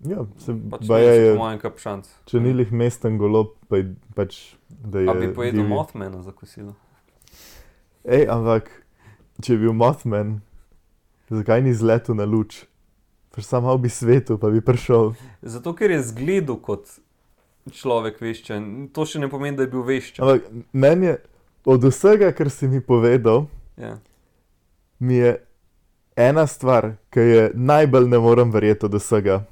Ja, se Pač baje ne, je, po mojem kap šanc. če ni lih mesten golob, pa je, pač, da je A bi pojedel divji. Mothmana za kosilo. Ej, ampak, če je bil Mothman, zakaj ni zletel na luč? Pač sam malo bi svetu, pa bi prišel. Zato, ker je zgledal kot človek veščen. To še ne pomeni, da je bil veščen. Ampak meni je, od vsega, kar si mi povedal, Ja. mi je ena stvar, ki je najbolj ne morem verjeti od vsega.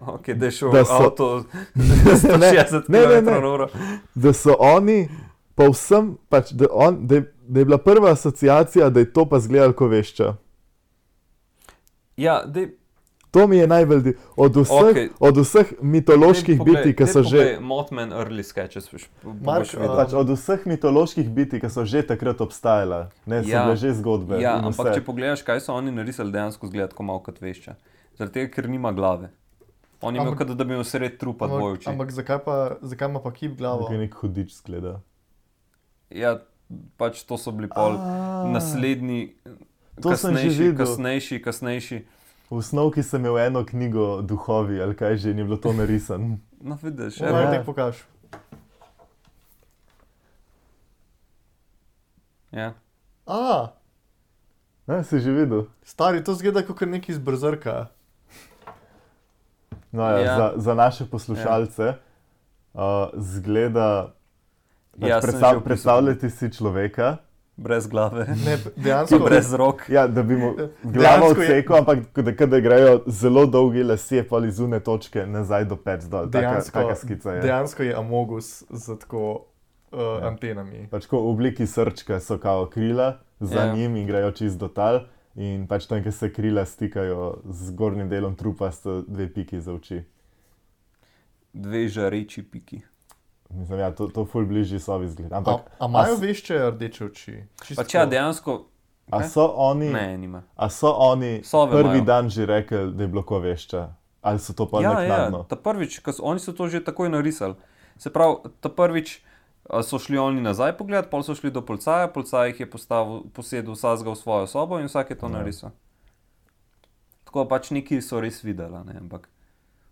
Ok, da je šel Da da so- avto sto šestdeset ne, ne, ne. kilometrov na uro. Da so oni, povsem, pač, da, on, da, je, da je bila prva asociacija, da je to pa zgledal kot vešča. Ja, dej, To mi je najbolj, di- od vseh, Okej. od vseh mitoloških bitij, ki so že. Mothman early sketches, boš, Mark, boš videl. Pač od vseh mitoloških bitij, ki so že takrat obstajala, ne, so Ja. bile že zgodbe. Ja, in ampak vse. če pogledaš, kaj so oni narisali, dejansko zgleda tako malo kot vešča. Zaradi tega, ker nima glave. On je imel, Ampak- kot da bi imel sred trupa dvoje Ampak, oči. ampak zakaj, pa, zakaj ima pa kip glavo? Nekaj nek hudič zgleda. Ja, pač to so bili pol A, naslednji, To sem že kasnejši, videl. kasnejši, kasnejši. V snovki sem imel eno knjigo Duhovi, ali kaj že, ni bilo to narisano. No, vidiš, Ja, evo. Ja. tek pokaž. Ja. A, Ne, si že videl? stari, to zgleda kot neki iz Brzrka. No, ja, Ja. Za, za naše poslušalce uh, zgleda, pač Ja, sem že predstav, opisal. predstavljati si človeka, Brez glave, Ne, pa dejansko, brez rok. ja, da bi mu glavo Dejansko je- odsekal, ampak da, da grejo zelo dolgi lasje pa iz une točke nazaj do pec dol. Taka, Dejansko- taka skica je. dejansko je Amogus z tako uh, Ja. antenami. Pač ko v obliki srčka so kao krila, za Ja. yeah. njim in grejo čist do tal. In pač tam, kjer se krila stikajo z gornjim delom trupa, sta dve piki za oči. Dve žareči piki. Mislim, ja, to, to ful bližji sobi zgleda. A, Ampak, a imajo s- vešče rdeče oči? Čisto Pač ja, tako. dejansko, a kaj? so oni, ne, nima. a so oni Sove prvi imajo. dan že rekli, da je bilo ko vešča? Ali so to pa Ja, ja, naknadno? ta prvič, ko so, oni so to že takoj narisali. Se pravi, ta prvič a, so šli oni nazaj pogledat, pol so šli do policaja, policaj jih je postavil, posedel vsakega v svojo sobo in vsak je to Ja. narisal. Tako pač neki so res videli, ne, ampak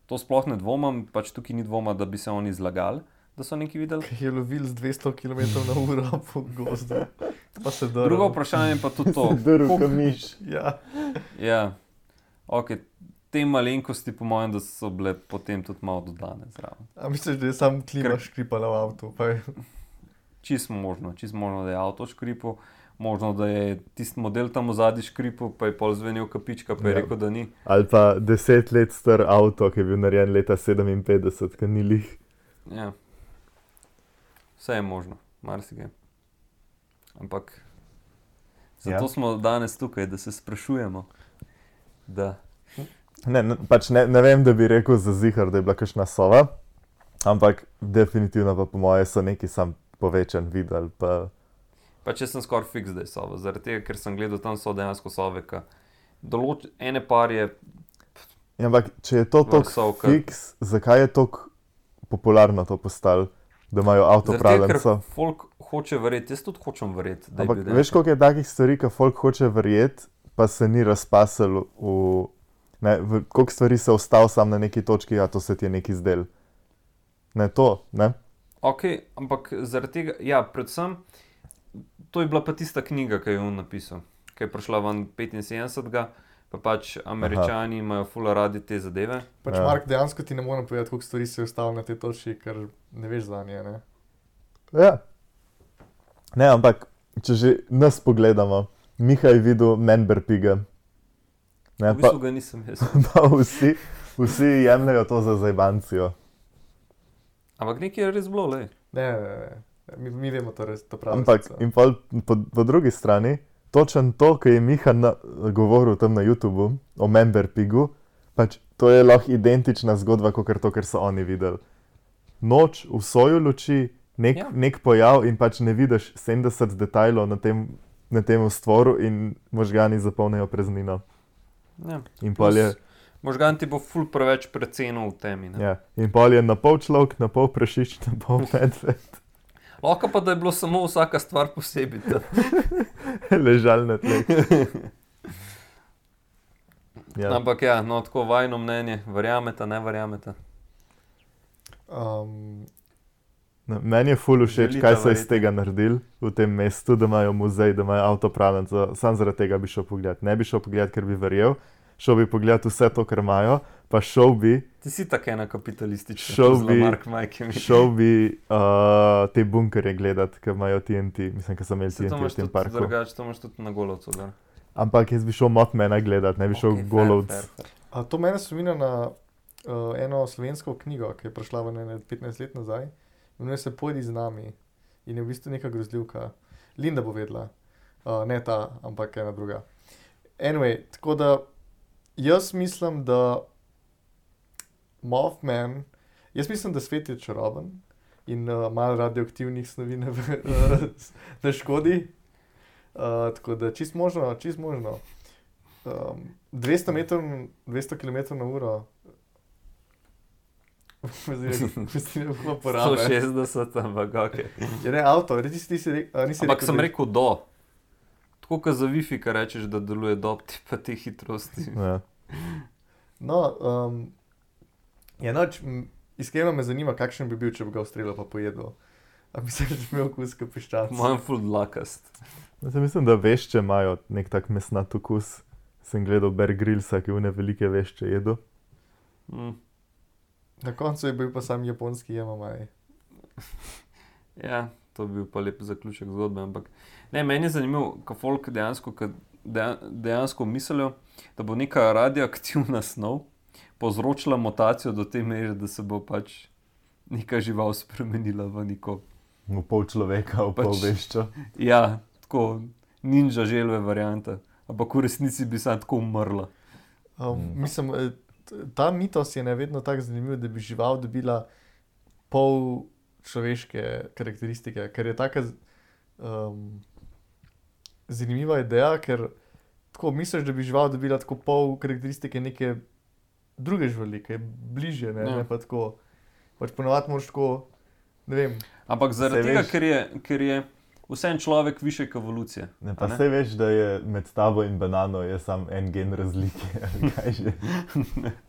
to sploh ne dvomam, pač tukaj ni dvoma, da bi se oni zlagali, da so neki videli. Ki je lovil z dvesto kilometrov na uro po gozdu. Pa se drl. Drugo vprašanje pa tudi to. Drv, koliko- kamiš. Ja. Ja, ok, te malenkosti po mojem, da so bile potem tudi malo dodane zraven. A misliš, da je sam klima Ker- škripala v avtu? Pa je... Čisto možno, čisto možno, da je avto škripal, možno, da je tisti model tam v zadnji škripal, pa je pol zvenel kapička, pa je Ja. rekel, da ni. Ali pa deset let star avto, ki je bil narejen leta sedeminpetdeset, ki ni lih. Ja. Vse je možno, marsikaj. Ampak zato Ja. smo danes tukaj, da se sprašujemo. Da. Ne, ne, pač ne, ne vem, da bi rekel za zihar, da je bila kakšna sova, ampak definitivno pa po moje so neki sam povečan videli. Pa, Pa če sem skoraj fiks, da je sova. Zaradi tega, ker sem gledal, tam so dejansko sove, ki določ... ene par je... Ja, ampak če je to tako sovka. fiks, zakaj je tako popularno to postalo, da imajo avtopralenco? Zaradi tega, ker folk hoče verjeti, jaz tudi hočem verjeti, da je Ampak bil veš, koliko je takih stvari, ki folk hoče verjeti, pa se ni razpasel v... Ne, v koliko stvari se ostal sam na neki točki, a to se ti je neki zdel. Ne, to, ne? Ok, ampak zaradi tega, ja, predvsem, to je bila pa tista knjiga, ki je on napisal, ki je prišla ven petinsedemdesetega, pa pač Američani Aha. imajo ful radi te zadeve. Pač Ja. Mark, dejansko ti ne morem povedati, koliko stvari se je ostalo na tej točki, ker ne veš za nje, ne? Ja. Ne, ampak, če že nas pogledamo, Miha je videl Manberpiga. Ne, V pa, bistvu ga nisem jaz. pa vsi, vsi jemljajo to za zajbancijo. Ampak nekaj je res bilo, lej. Ne, ne, ne. Mi, mi vemo to res, to pravi. Ampak, in pol, po, po drugi strani, točen to, kar je Miha na, govoril tam na YouTubu o Manberpigu, pač to je lahko identična zgodba, kot to, kar so oni videli. Noč v soju luči, nek, Ja. nek pojav in pač ne vidiš sedemdeset detajlov na tem, na tem stvoru in možgani zapolnijo praznino. Ja. In pol je, Možgan ti bo ful preveč precenil v temi. Ne? ja, in pol je na pol človek, na pol prašič, na pol medved, Lahko pa, da je bilo samo vsaka stvar posebej. ta. ležal na tleh. Ja. Ampak ja, no tako vajno mnenje, verjamete, ne verjamete. Um, No, meni je ful všeč, Želite kaj so iz verjeti? tega naredili v tem mestu, da imajo muzej, da imajo avtopralenco. Sam zaradi tega bi šel pogledat. Ne bi šel pogledat, ker bi verjel, šel bi pogledat vse to, kar imajo, pa šel bi, Ti si tako ena kapitalistična, Šel kot bi- Mark Majke. šel bi uh, te bunkerje gledat, ki imajo T N T. Mislim, da so imeli Se T N to T v imaš tem tudi parku. drugače, to imaš tudi na Golovcu. da. Ampak jaz bi šel Mothmana gledat, ne bi šel Okej, okay, fair, Golovc. fair, fair. a to mene spominja na uh, eno slovensko knjigo, ki je prišla v ene petnajst let nazaj. Imenuje se Pojdi z nami. In je v bistvu neka grozljivka. Linda bo vedela. Uh, ne ta, ampak ena druga. Anyway, tako da jaz mislim, da Mothman, jaz mislim, da svet je čaroben in uh, malo radioaktivnih snovi ne, uh, ne škodi. Uh, tako da čist možno, čist možno. Um, dvesto metrov, dvesto kilometrov na uro. Mislim, da bo porabe. sto šestdeset, ampak ok. Je ne avto, ti si, ti si rekel, a nisi Ampak rekel, sem da- rekel do. Tako kot za Wi-Fi, ki rečeš, da deluje do, ti pa te hitrosti. Ja. No, um, ja, noč, m, iskreno me zanima, kakšen bi bil, če bi ga ustrelil pa pojedel. A misliš, da bi imel okus kot piščanc? Mojem full dlakast. Jaz mislim, da vešče imajo nek tak mesnat okus. Sem gledal Bear Grillsa, ki une velike vešče jedo. Mm. Na koncu je bil pa sam japonski jemamaj. Ja, to bi bil pa lep zaključek zgodbe, ampak ne, meni je zanimivo, kako folk dejansko, ka deja- dejansko mislijo, da bo neka radioaktivna snov povzročila mutacijo do te mere, da se bo pač neka žival spremenila v neko, V pol človeka, v pol Pač- veščo. ja, tako ninja želve varianta, ampak v resnici bi sam tako umrla. Um, Mm. mislim, eh, t- ta mitos je ne vedno tako zanimiv, da bi žival dobila pol človeške karakteristike, ker je taka z- um, zanimiva ideja, ker tako misliš, da bi žival dobila tako pol karakteristike neke druge živali, ki je bližje, ne, Ja. ne pa tako. Pač ponovadi moraš tako, ne vem, Ampak zaradi Saj tega, veš- ker je, ker je vseeno človek višek evolucije. Ne, a pa ne? sej veš, da je med tabo in banano je sam en gen razlike. ali kaj že.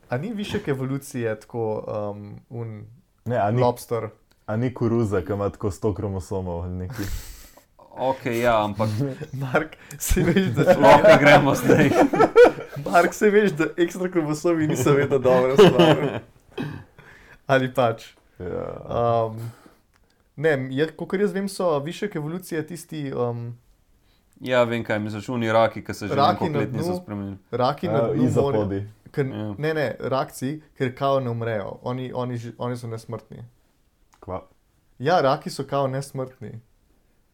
a ni višek evolucije tako um, un Ne, a ni, lobster. a ni koruza, ki ima tako sto kromosomov ali nekaj. Ok, ja, ampak Mark, se veš, da lahko gremo zdaj. Mark, se veš, da ekstra kromosomi niso vedno dobra stvar. Ali pač. Ja. Um, ne, kot jaz vem, so višek evolucije tisti um, Ja, vem kaj misliš, oni raki, ki se že Raki nekaj na let niso dnu. spremenili. raki na Ja, dnu morja. izopodi. Ker, Ja. ne, ne, rakci, ker kao ne umrejo. Oni, oni, ži- oni so nesmrtni. Kva? Ja, raki so kao nesmrtni.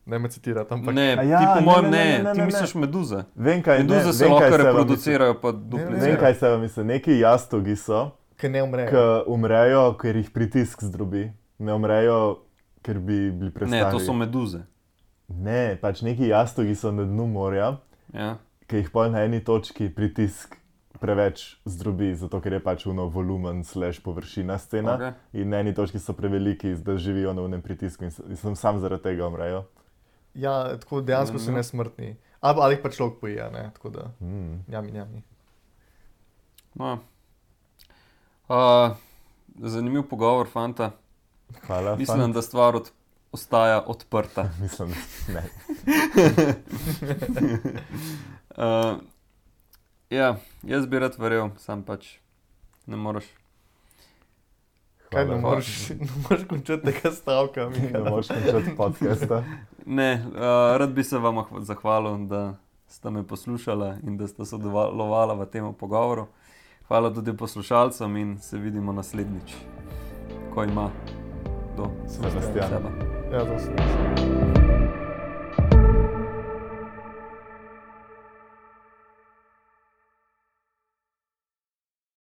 Ne me citirati, ampak Ne, A ja, ti po ne, mojem ne, ne, ne, ne, ne, ti ne. misliš meduze. Vem kaj, ne, Meduze se vem, kaj lahko se vam reproducirajo, pa ne, misli. duplicirajo. Vem, kaj se vam misli. Neki jastogi so, ker ne umrejo. ki umrejo, ker jih pritisk zdrobi. Ne umrejo, ker bi bili prestari. Ne, to so meduze. Ne, pač neki jastogi so na dnu morja, Ja. ki jih pol na eni točki pritisk preveč zdrobi, zato ker je pač uno volumen slash površina scena Okay. in na eni točki so preveliki, da živijo na unem pritisku in, so, in sem sam zaradi tega umrejo. Ja, tako dejansko so Mhm. nesmrtni. Ali, ali jih pa človek poje, ne, tako da, Mm. njami, njami. No. Uh, zanimiv pogovor, fanta. Hvala. Mislim, fant. da stvar od, ostaja odprta. Mislim, ne. uh, ja, jaz bi rad verjel, sam pač ne moreš. Kaj Hvala. ne moreš, ne moreš končati tega stavka, Ne Miha. moreš končati podcasta. Ne, uh, rad bi se vam ahv- zahvalil, da ste me poslušali in da ste sodelovali v tem pogovoru. Hvala tudi poslušalcem in se vidimo naslednjič, ko ima do Sebastian. sebe. Ja, to sem.